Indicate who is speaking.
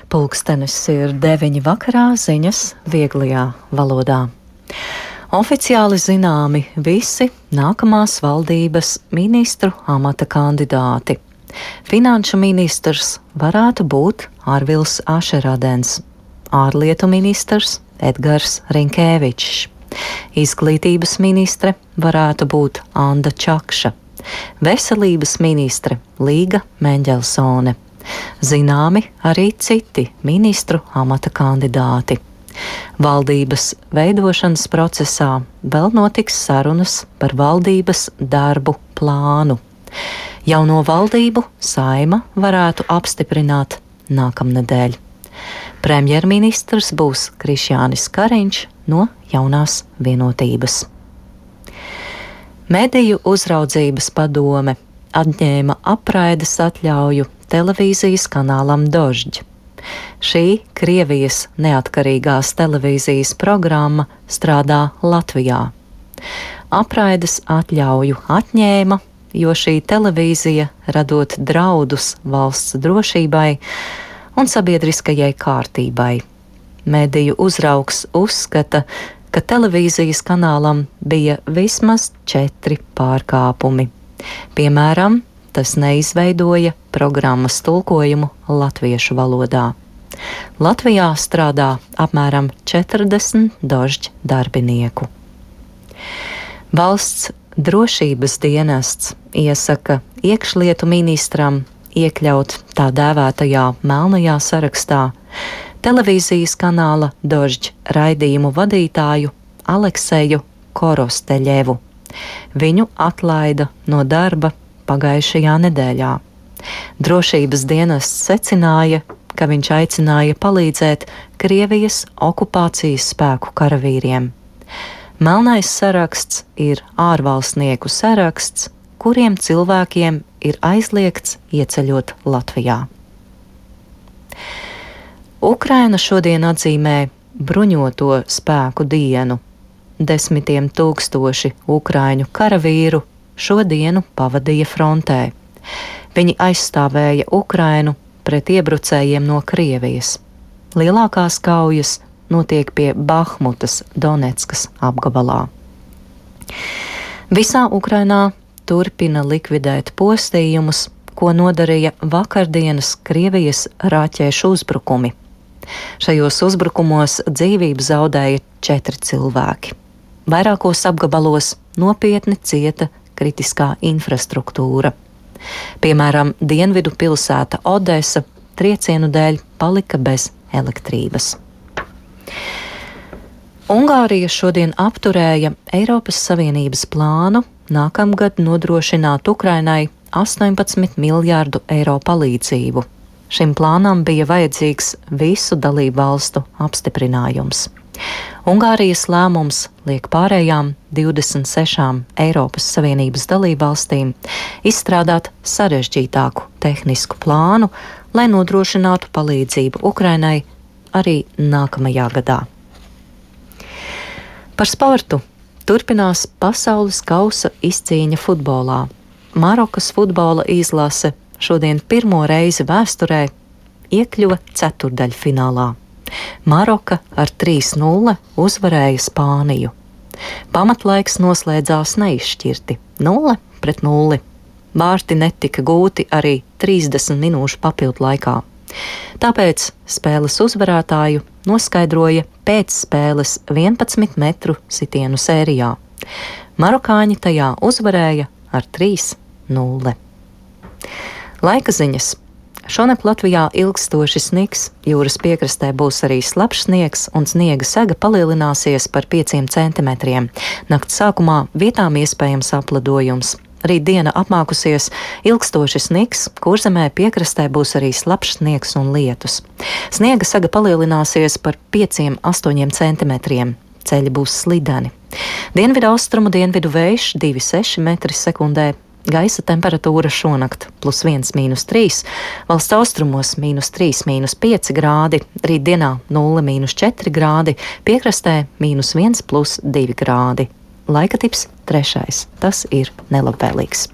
Speaker 1: Pulkstenis ir 9 vakarā, ziņas vieglajā valodā. Oficiāli zināmi visi nākamās valdības ministru amata kandidāti. Finanšu ministrs varētu būt Arvils Ašeradens, ārlietu ministrs Edgars Rinkēvičs, izglītības ministre varētu būt Anda Čakša, veselības ministre Līga Meņģelsone. Zināmi arī citi ministru amata kandidāti. Valdības veidošanas procesā vēl notiks sarunas par valdības darbu plānu. Jauno valdību Saeima varētu apstiprināt nākamnedēļ. Premjerministrs būs Krišjānis Kariņš no Jaunās vienotības. Mediju uzraudzības padome atņēma apraides atļauju televīzijas kanālam Dožģi. Šī Krievijas neatkarīgās televīzijas programma strādā Latvijā. Apraides atļauju atņēma, jo šī televīzija radot draudus valsts drošībai un sabiedriskajai kārtībai. Mediju uzraugs uzskata, ka televīzijas kanālam bija vismaz 4 pārkāpumi. Piemēram, tas neizveidoja programmas tulkojumu latviešu valodā. Latvijā strādā apmēram 40 Dožģi darbinieku. Valsts drošības dienests iesaka iekšlietu ministram iekļaut tā dēvētajā melnajā sarakstā televīzijas kanāla Dožģi raidījumu vadītāju Alekseju Korosteļevu. Viņu atlaida no darba pagājušajā nedēļā. Drošības dienests secināja, ka viņš aicināja palīdzēt Krievijas okupācijas spēku karavīriem. Melnais saraksts ir ārvalstnieku saraksts, kuriem cilvēkiem ir aizliegts ieceļot Latvijā. Ukraina šodien atzīmē bruņoto spēku dienu. 10 000 ukraiņu karavīru šo dienu pavadīja frontē. Viņi aizstāvēja Ukrainu pret iebrucējiem no Krievijas. Lielākās kaujas notiek pie Bahmutas Doneckas apgabalā. Visā Ukrainā turpina likvidēt postījumus, ko nodarīja vakardienas Krievijas raķešu uzbrukumi. Šajos uzbrukumos dzīvību zaudēja 4 cilvēki. Vairākos apgabalos nopietni cieta kritiskā infrastruktūra. Piemēram, dienvidu pilsēta Odesa triecienu dēļ palika bez elektrības. Ungārija šodien apturēja Eiropas Savienības plānu nākamgad nodrošināt Ukrainai 18 miljārdu eiro palīdzību. Šim plānam bija vajadzīgs visu dalību valstu apstiprinājums. Ungārijas lēmums liek pārējām 26 Eiropas Savienības dalībvalstīm izstrādāt sarežģītāku tehnisku plānu, lai nodrošinātu palīdzību Ukrainai arī nākamajā gadā. Par sportu turpinās pasaules kausa izcīņa futbolā. Marokas futbola izlase šodien pirmo reizi vēsturē iekļuva ceturdaļfinālā. Maroka ar 3-0 uzvarēja Spāniju. Pamatlaiks noslēdzās neizšķirti 0-0. Vārti netika gūti arī 30 minūšu papildu laikā. Tāpēc spēles uzvarētāju noskaidroja pēc spēles 11 metru sitienu sērijā. Marokāņi tajā uzvarēja ar 3-0. Laika ziņas. Šonakt Latvijā ilgstoši sniks, jūras piekrastē būs arī slapjš sniegs un sniega sega palielināsies par 5 centimetriem. Nakts sākumā vietām iespējams apledojums. Rīt diena apmākusies, ilgstoši sniks, Kurzemē piekrastē būs arī slapjš sniegs un lietus. Sniega sega palielināsies par 5–8 centimetriem. Ceļi būs slideni. Dienvidu austrumu dienvidu vējš 2,6 m/sekundē. Gaisa temperatūra šonakt +1–3, valsts austrumos -3–5 grādi, rītdienā 0–4 grādi, piekrastē -1–2 grādi. Laika tips 3. Tas ir nelabvēlīgs.